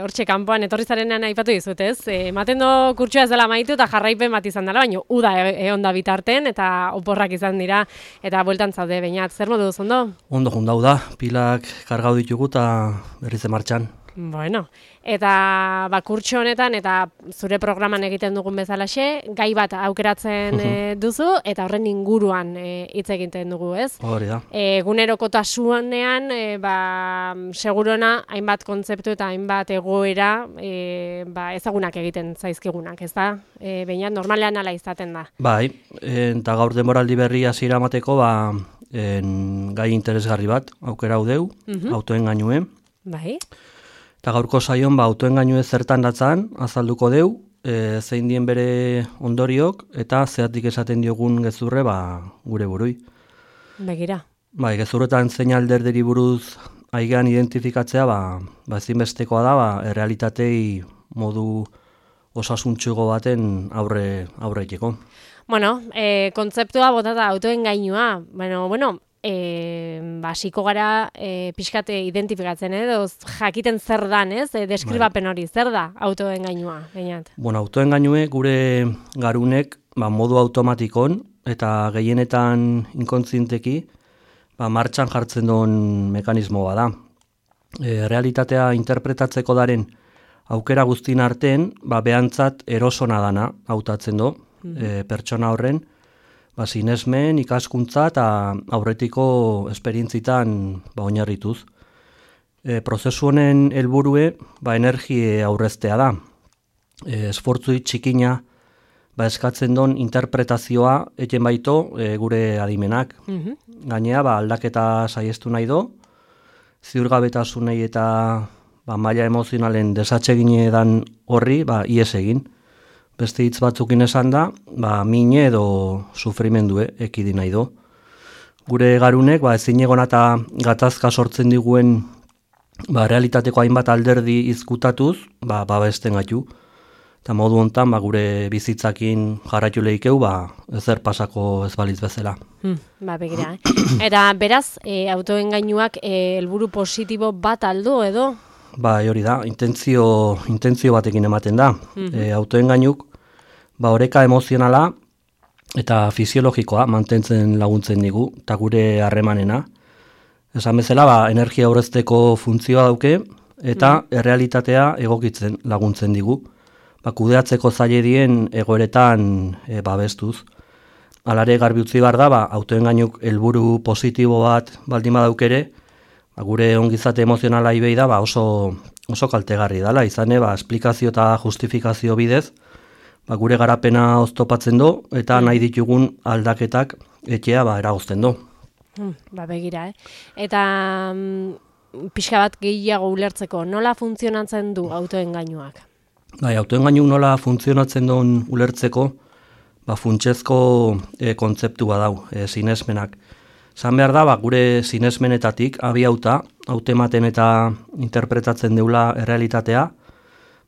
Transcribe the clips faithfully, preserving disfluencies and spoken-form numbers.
Hortxe kanpoan etorri zarenean aipatu dizut, ez? Ematen do kurtsoa ez dela amaitu eta jarraipen bat izan dela, baina uda egon da bitarten eta oporrak izan dira eta bueltan zaude Beñat. Zer modu duz, ondo? Ondo jundau da, pilak kargau ditugu eta berriz martxan. Bueno, eta ba, kurtso honetan eta zure programan egiten dugun bezalaxe, gai bat aukeratzen e, duzu eta horren inguruan hitz e, egiten dugu, ez? Hori da. Egunerokotasunean, e, ba, segurona hainbat kontzeptu eta hainbat egoera e, ba, ezagunak egiten zaizkigunak, ez da? E, Beñat, normalean ala izaten da. Bai, eta gaur denboraldi berri hasiera emateko, ba, en, gai interesgarri bat, aukera hau deu, uh-huh. autoen gainuen. Bai. Eta gaurko saion ba, autoen gainue zertan datzan, azalduko deu, e, zein dien bere ondoriok, eta zeatik esaten diogun gezurre ba, gure burui. Begira. Bai, gezurretan zein alderderi buruz aigean identifikatzea, ba, ba ezinbestekoa da, ba, errealitatei modu osasuntxugo baten aurre aurreiteko. Bueno, e, kontzeptua botata autoen gainua, bueno, bueno, E, basiko gara e, pixkate identifikatzen edo jakiten zer dan, ez? E, deskribapen hori, zer da autoen gainua, Beñat? Bueno, autoen gainue gure garunek ba, modu automatikon eta gehienetan inkontzienteki ba, martxan jartzen duen mekanismo bada. E, realitatea interpretatzeko daren aukera guztin artean, ba, behantzat erosona dana hautatzen do, mm-hmm. e, pertsona horren, ba, sinesmen, ikaskuntza eta aurretiko esperientzitan ba, oinarrituz. E, prozesu honen helburue ba, energie aurreztea da. E, esfortzui txikina ba, eskatzen don interpretazioa eten baito e, gure adimenak. Mm-hmm. Gainea ba, aldaketa saiestu nahi do, ziurgabetasunei eta ba, maila emozionalen desatsegine dan horri ba, ies egin. Beste hitz batzukin esan da, ba, mine edo sufrimendue ekidi nahi do. Gure garunek ba, ezin egon eta gatazka sortzen diguen ba, realitateko hainbat alderdi izkutatuz, ba, babesten gaitu. Eta modu hontan ba, gure bizitzakin jarraitu lehikeu, ba, ezer pasako ez balitz bezala. Hmm, ba, begira, eh? Eta beraz, e, autoen gainuak e, helburu positibo bat aldu edo? Ba, hori da, intentzio, intentzio batekin ematen da. Mm-hmm. E, autoen gainuk, ba, oreka emozionala eta fisiologikoa mantentzen laguntzen digu, eta gure harremanena. Esan bezala, ba, energia aurrezteko funtzioa dauke, eta mm. errealitatea egokitzen laguntzen digu. Ba, kudeatzeko zaile dien egoeretan e, babestuz. Alare garbi utzi behar da, ba, autoen gainuk helburu positibo bat baldin badaukere, ba, gure ongizate emozionala ibei da ba, oso, oso kaltegarri dela, izane, ba, esplikazio eta justifikazio bidez, ba, gure garapena oztopatzen do, eta mm. nahi ditugun aldaketak etxea ba, eragozten do. Mm, ba, begira, eh? Eta mm, pixka bat gehiago ulertzeko, nola funtzionatzen du autoen gainuak? Bai, autoen gainuk nola funtzionatzen duen ulertzeko, ba, funtsezko e, kontzeptua dau, e, sinesmenak. Zan behar da, ba, gure sinesmenetatik abiauta, hautematen eta interpretatzen deula errealitatea,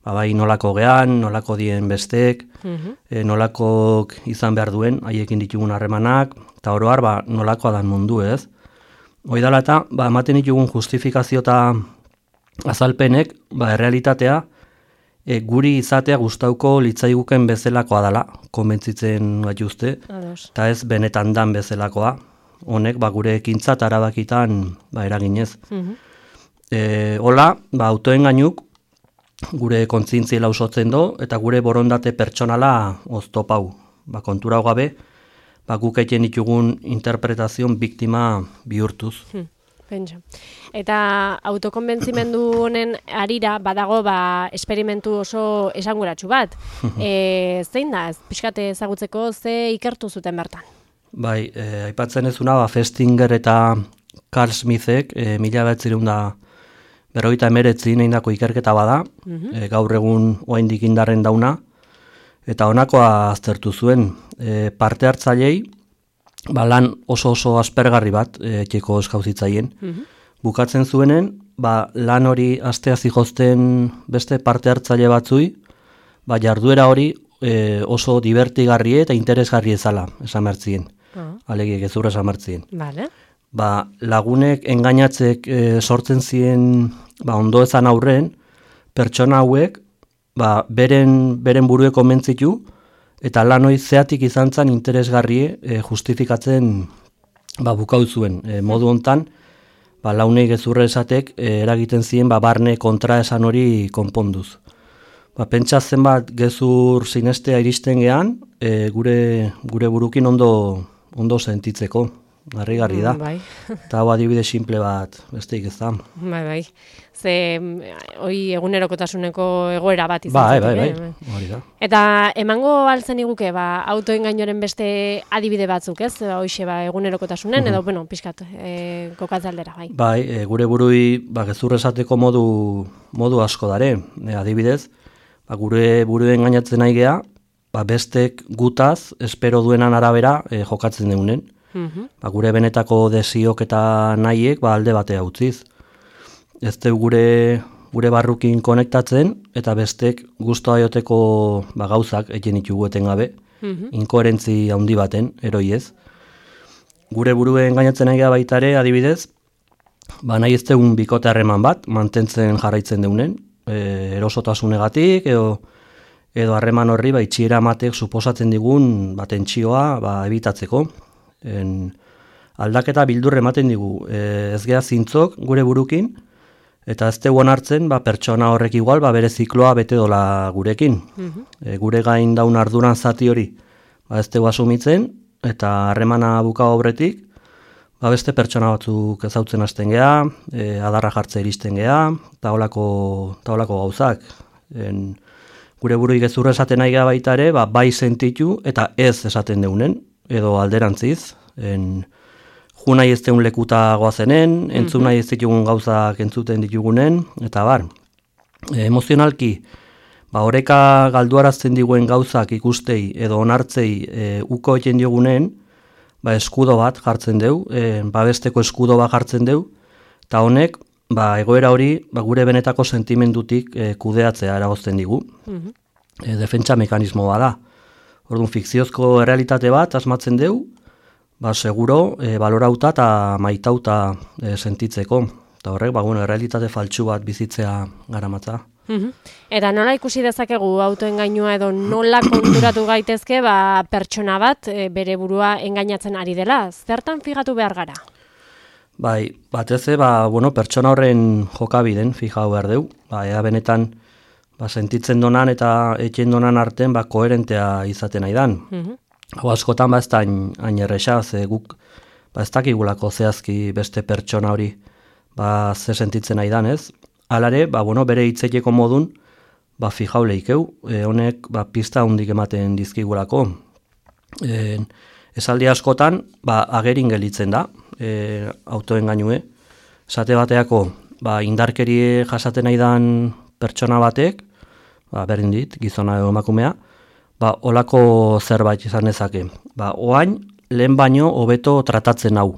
ba, bai nolako gean, nolako dien bestek, uh-huh. e, nolakok izan behar duen, haiekin ditugun harremanak, eta oroar ba, nolakoa dan mundu ez. Hoidala eta, ba, ematen ditugun justifikazio eta azalpenek, ba, errealitatea, e, guri izatea gustauko litzaiguken bezalakoa dela, konbentzitzen gaituzte, eta ez benetan dan bezalakoa. Honek ba, gure ekintza eta erabakitan ba, eraginez. Uh-huh. E, hola, ba, autoen gainuk, gure kontzientziela usotzen do, eta gure borondate pertsonala oztopau. Ba, kontura gabe, ba, guk egiten ditugun interpretazion biktima bihurtuz. Hmm, pentsa. Eta autokonbentzimendu honen arira badago ba, esperimentu oso esanguratsu bat. e, zein da, pixkate ezagutzeko ze ikertu zuten bertan? Bai, e, aipatzen ezuna, ba, Festinger eta Carl Smithek e, mila behatzireun da berrogeita emeretzin egindako ikerketa bada, mm-hmm. e, gaur egun oraindik indarren dauna, eta honakoa aztertu zuen. E, parte hartzailei, ba, lan oso oso aspergarri bat e, etxeko eskauzitzaien. Mm-hmm. Bukatzen zuenen, ba, lan hori astea zihozten beste parte hartzaile batzui, ba, jarduera hori e, oso divertigarrie eta interesgarri ezala, esan bertzien. Uh-huh. Alegiek ezurra esan bertzien. Vale. Ba, lagunek engainatzek e, sortzen ziren ba, ondo ezan aurren, pertsona hauek ba, beren, beren burue konbentzitu eta lan hori zeatik izan zen interesgarrie e, justifikatzen ba, bukau zuen. E, modu hontan, ba, launei gezurre esatek e, eragiten ziren ba, barne kontra esan hori konponduz. Ba, pentsa zenbat gezur sinestea iristen gean, e, gure, gure burukin ondo, ondo sentitzeko. Harrigarri da. Bai. Eta hau adibide simple bat, besteik ez da. Bai, bai. Ze, hoi egunerokotasuneko egoera bat izan Bai, zatek, bai, eh? bai, hori da. Eta emango altzen iguke, ba, autoengainoren beste adibide batzuk, ez? Ba, hoxe, ba, egunerokotasunen, edo, bueno, pixkat, e, kokatzaldera, bai. Bai, e, gure burui, ba, gezur esateko modu, modu asko dare, e, adibidez, ba, gure buruen gainatzen nahi gea, ba, bestek gutaz, espero duenan arabera, e, jokatzen deunen. Mhm. Ba, gure benetako desiok eta nahiek ba, alde batea utziz. Ez deu gure, gure barrukin konektatzen eta bestek guztua joteko ba, gauzak egin ditugu etengabe, Mhm. inkoherentzi handi baten, eroi ez. Gure buruen gainatzen nahi baita ere, adibidez, ba, nahi ez deun bikote harreman bat, mantentzen jarraitzen deunen, e, erosotasunegatik edo edo harreman horri ba, itxiera matek suposatzen digun ba, tentsioa ba, ebitatzeko. En, aldaketa bildurre ematen digu, e, ez geha zintzok gure burukin, eta ez teguan hartzen ba, pertsona horrek igual ba, bere zikloa bete dola gurekin. Mhm. E, gure gain daun arduran zati hori ba, ez tegu asumitzen, eta harremana buka aurretik, ba, beste pertsona batzuk ezautzen hasten geha, e, adarra jartze iristen geha, eta holako, eta holako gauzak. En, gure burui gezurra esaten nahi geha baita ere, ba, bai sentitu eta ez esaten deunen, edo alderantziz, en, ju nahi ez deun lekuta goazenen, entzun nahi ez ditugun gauzak entzuten ditugunen, eta bar. E, emozionalki, ba, oreka galduarazten diguen gauzak ikustei edo onartzei e, uko eten diogunen, ba, eskudo bat jartzen deu, e, babesteko eskudo bat jartzen deu, eta honek, ba, egoera hori ba, gure benetako sentimendutik e, kudeatzea eragozten digu. Mhm. E, defentsa mekanismo bada. Orduan, fikziozko errealitate bat asmatzen deu, ba, seguro, e, balorauta eta maitauta e, sentitzeko. Eta horrek, ba, bueno, errealitate faltsu bat bizitzea garamatza. Mhm. Eta nola ikusi dezakegu autoengainua edo nola konturatu gaitezke ba, pertsona bat e, bere burua engainatzen ari dela? Zertan figatu behar gara? Bai, batez ere, ba, bueno, pertsona horren jokabiden fijau behar deu. Ba, ea benetan ba, sentitzen donan eta etxen donan arten ba, koherentea izaten nahi dan. Mhm. Hau askotan ba ez da hain, hain erresa, ze guk ba, ez dakigulako zehazki beste pertsona hori ba, ze sentitzen nahi dan, ez? Alare, ba, bueno, bere hitzeteko modun ba, fijau lehikeu, e, honek ba, pista hundik ematen dizkigulako. E, esaldi askotan ba, agerin gelitzen da, e, autoengainue. Esate bateako ba, indarkerie jasaten nahi dan pertsona batek, ba, berdin dit, gizona edo emakumea, ba, olako zerbait izan dezake. Ba, oain, lehen baino hobeto tratatzen hau.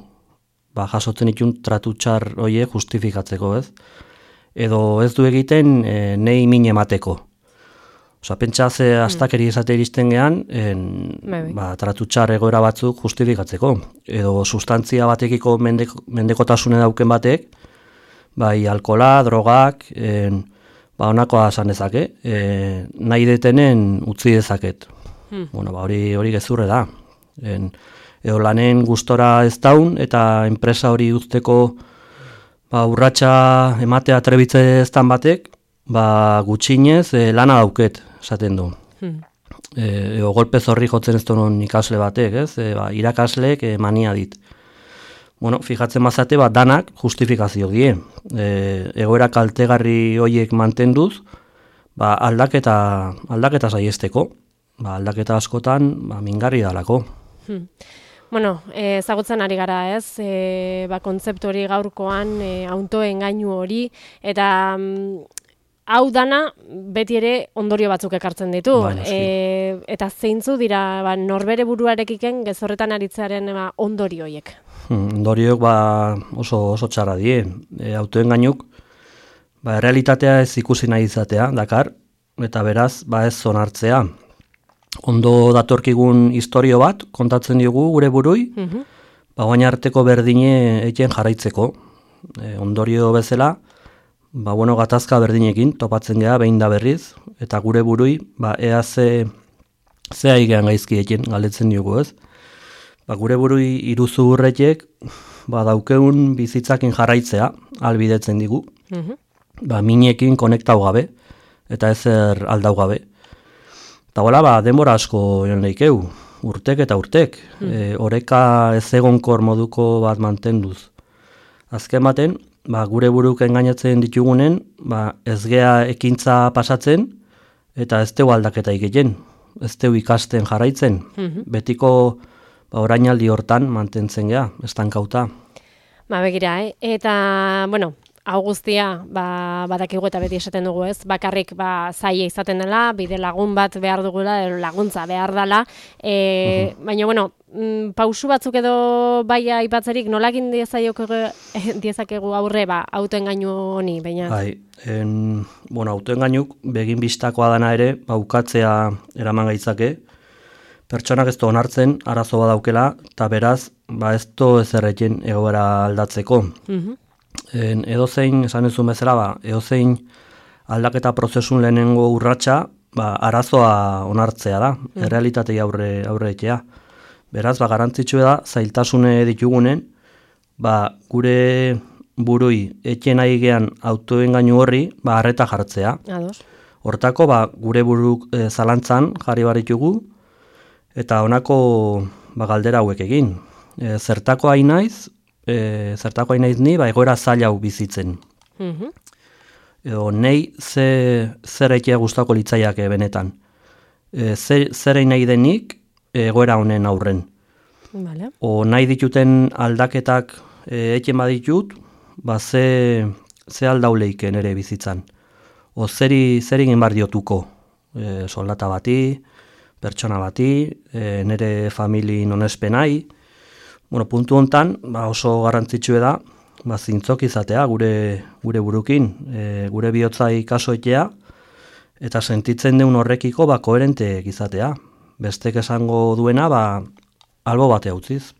Ba, jasotzen itun tratutxar hoie justifikatzeko, ez? Edo ez du egiten e, nei min emateko. Osa, pentsa ze astakeri esate iristen gehan, en, ba, tratutxar egoera batzuk justifikatzeko. Edo sustantzia batekiko mendeko, mendekotasune dauken batek, bai, alkola, drogak, en, ba, honakoa esan dezake, e, nahi detenen utzi dezaket. Hmm. Bueno, ba, hori, hori gezurre da. En, edo lanen gustora ez daun, eta enpresa hori uzteko ba, urratsa ematea trebitze eztan batek, ba, gutxinez e, lana dauket, esaten du. Hmm. E, edo golpe zorri jotzen ez donon ikasle batek, ez? E, ba, irakasleek e, mania dit. Bueno, fijatzen mazate, ba, danak justifikazio die. E, egoera kaltegarri hoiek mantenduz, ba, aldaketa, aldaketa saiesteko. Ba, aldaketa askotan ba, mingarri dalako. Hmm. Bueno, eh, ezagutzen ari gara, ez? E, ba, kontzeptu hori gaurkoan, e, autoengainu hori, eta mm, hau dana beti ere ondorio batzuk ekartzen ditu. Ba, e, eta zeintzu dira ba, norbere buruarekiken gezorretan aritzearen ba, ondorio horiek? Hmm, ondorioak ba, oso, oso txarra die. E, autoengainuk ba, realitatea ez ikusi nahi izatea, dakar, eta beraz ba, ez zonartzea. Ondo datorkigun historio bat kontatzen diogu gure burui, mm-hmm. ba, oain arteko berdine eken jarraitzeko. E, ondorio bezala, ba, bueno, gatazka berdinekin topatzen geha behin da berriz, eta gure burui, ba, ea ze, ze aigean gaizkiekin galdetzen diogu, ez? Ba, gure burui iruzu hurretek, ba, daukeun bizitzakin jarraitzea, albidetzen digu, Mhm. ba, minekin konektau gabe, eta ezer aldau gabe. Eta hola, ba, denbora asko joan leikeu, urtek eta urtek, e, oreka ez egonkor moduko bat mantenduz. Azken baten, ba, gure buruk engainatzen ditugunen, ba, ez gea ekintza pasatzen, eta ez teu aldaketa egiten, ez teu ikasten jarraitzen, betiko ba, orainaldi hortan mantentzen gea, estankauta. Ba, begira, eh? Eta, bueno, hau guztia, ba, badakigu eta beti esaten dugu, ez? Bakarrik ba zaila izaten dela, bide lagun bat behar dugula, edo laguntza behar dela. E, uh-huh. Baina, bueno, mm, pausu batzuk edo bai aipatzerik, nolakin diezakegu aurre, ba, autoengainu honi, baina? Bai, en, bueno, autoengainuk begin bistakoa dana ere, baukatzea eraman gaitzake, pertsonak ez du onartzen, arazo badaukela, eta beraz, ba ez du ezerrekin egoera aldatzeko. Uh-huh. En, edozein, esan ezun bezala, ba, edozein aldaketa prozesun lehenengo urratsa, ba, arazoa onartzea da, mm. errealitatei aurre, aurre etea. Beraz, ba, garantzitsua da, zailtasune ditugunen, ba, gure burui etxen nahi gean autoengainu horri, ba, arreta jartzea. Ados. Hortako, ba, gure buruk e, zalantzan jarri baritugu, eta honako ba, galdera hauek egin. E, zertako hain naiz, E, zertako hain naiz ni, ba, egoera zaila hau bizitzen. Uh-huh. Edo, nei ze, zer eitea gustako litzaiake benetan. E, zer, zer egin nahi denik egoera honen aurren. Vale. O nahi dituten aldaketak e, eken baditut, ba, ze, ze aldauleiken ere bizitzan. O zeri, zer egin bar diotuko. E, soldata bati, pertsona bati, e, nere famili nonespenai. Bueno, puntu hontan, ba oso garrantzitsua da, ba zintzok izatea gure gure burukin, e, gure bihotzai kasoetea eta sentitzen deun horrekiko ba koherenteek izatea. Bestek esango duena ba albo bate utziz.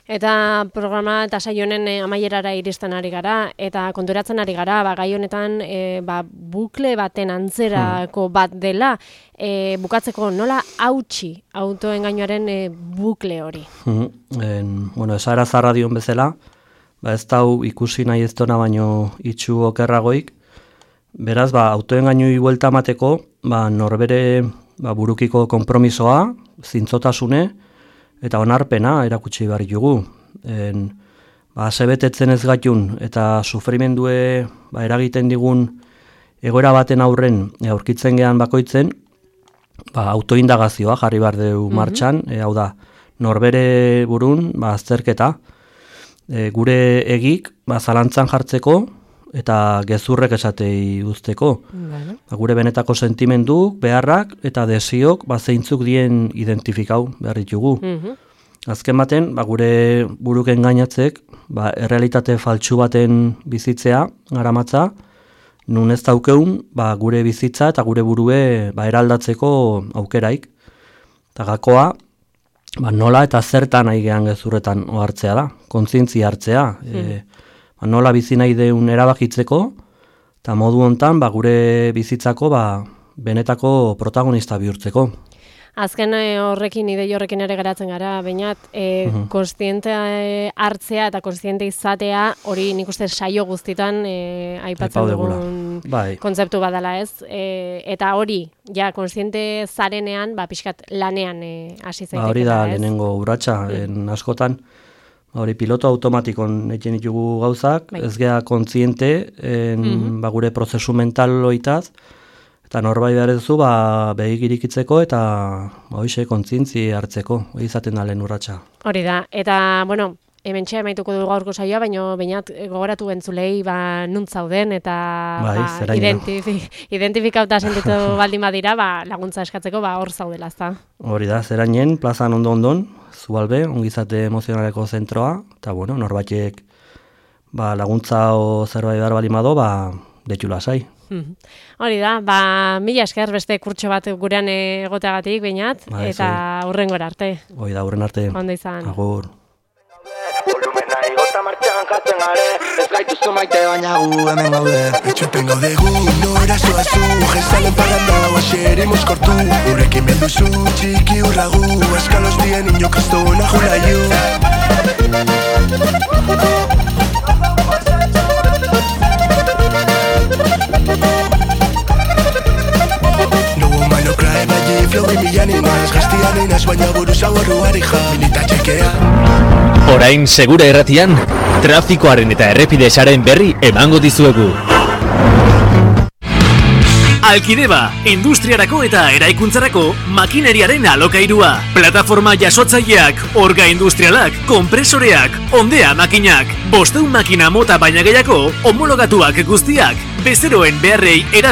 Eta programa eta saio honen e, amaierara iristen ari gara, eta konturatzen ari gara, ba, gai honetan e, ba, bukle baten antzerako hmm. bat dela, e, bukatzeko nola hautsi autoengainuaren e, bukle hori. Hmm. En, bueno, esara zarra dion bezala, ba, ez dau ikusi nahi ez dona baino itxu okerragoik, beraz, ba, autoengainui buelta mateko, ba, norbere ba, burukiko konpromisoa, zintzotasune, eta onarpena erakutsi behar dugu. En, ba, sebetetzen ez gatun eta sufrimendue ba, eragiten digun egoera baten aurren aurkitzen gean bakoitzen, ba, autoindagazioa jarri behar dugu martxan, mm-hmm. e, hau da, norbere burun ba, azterketa, e, gure egik ba, zalantzan jartzeko eta gezurrek esatei uzteko. Bueno. Ba, gure benetako sentimenduk, beharrak eta desiok ba, zeintzuk dien identifikau behar ditugu. Mm-hmm. Azken baten, ba, gure buruk engainatzek ba, errealitate faltsu baten bizitzea garamatza, nun ez daukeun ba, gure bizitza eta gure burue ba, eraldatzeko aukeraik. Eta gakoa, ba, nola eta zertan aigean gezurretan ohartzea da, kontzientzia hartzea. Mm. E, ba, nola bizi nahi deun erabakitzeko, eta modu hontan ba, gure bizitzako ba, benetako protagonista bihurtzeko. Azken horrekin, idei horrekin ere geratzen gara, bainat, e, uh-huh. konstiente hartzea eta konstiente izatea, hori nik uste saio guztitan e, aipatzen dugun bai. Kontzeptu badala ez. E, eta hori, ja, konstiente zarenean, ba, pixkat lanean hasi zaiteke. Ba, hori da, lehenengo urratsa, en askotan, hori piloto automatikon egin ditugu gauzak, bai. Ez gea kontziente, en, uh-huh. ba, gure prozesu mental loitaz, eta norbai behar duzu, ba, behik irikitzeko eta hoxe kontzientzi hartzeko, hori izaten da lehen urratsa. Hori da, eta, bueno, hemen txea emaituko dugu gaurko saioa, baina bainat gogoratu entzulei ba, nunt zauden eta bai, ba, identifi, identifikauta sentitu baldin badira, ba, laguntza eskatzeko ba, hor zaudela, ezta. Hori da, zerainen, plazan ondo-ondon, Zubalbe, ongizate emozionaleko zentroa, eta, bueno, norbaitek ba, laguntza o zerbait behar baldin bado, ba, detxu lasai. Hori da, ba, mila esker beste kurtso bat gurean egoteagatik bainat, ba, eta hurrengora arte. Hori da, hurren arte. Ondo izan. Agur. Volumena igota martxan jartzen gare. Ez gaituzu maite baina gu hemen gaude. Etxuten gaude gu, nora zoazu, jezalen parranda oaseri moskortu. Gurekin belduzu, txiki urragu, eskalos dien ino kristona julaiu. Flow imian inaz, gaztian inaz, baina buruz agorru harija, minita txekea. Orain Segura Irratian, trafikoaren eta errepidesaren berri emango dizuegu. Alkideba, industriarako eta eraikuntzarako makineriaren alokairua. Plataforma jasotzaileak, orga industrialak, kompresoreak, ondea makinak, bosteun makina mota baina gehiago, homologatuak guztiak, bezeroen beharrei eran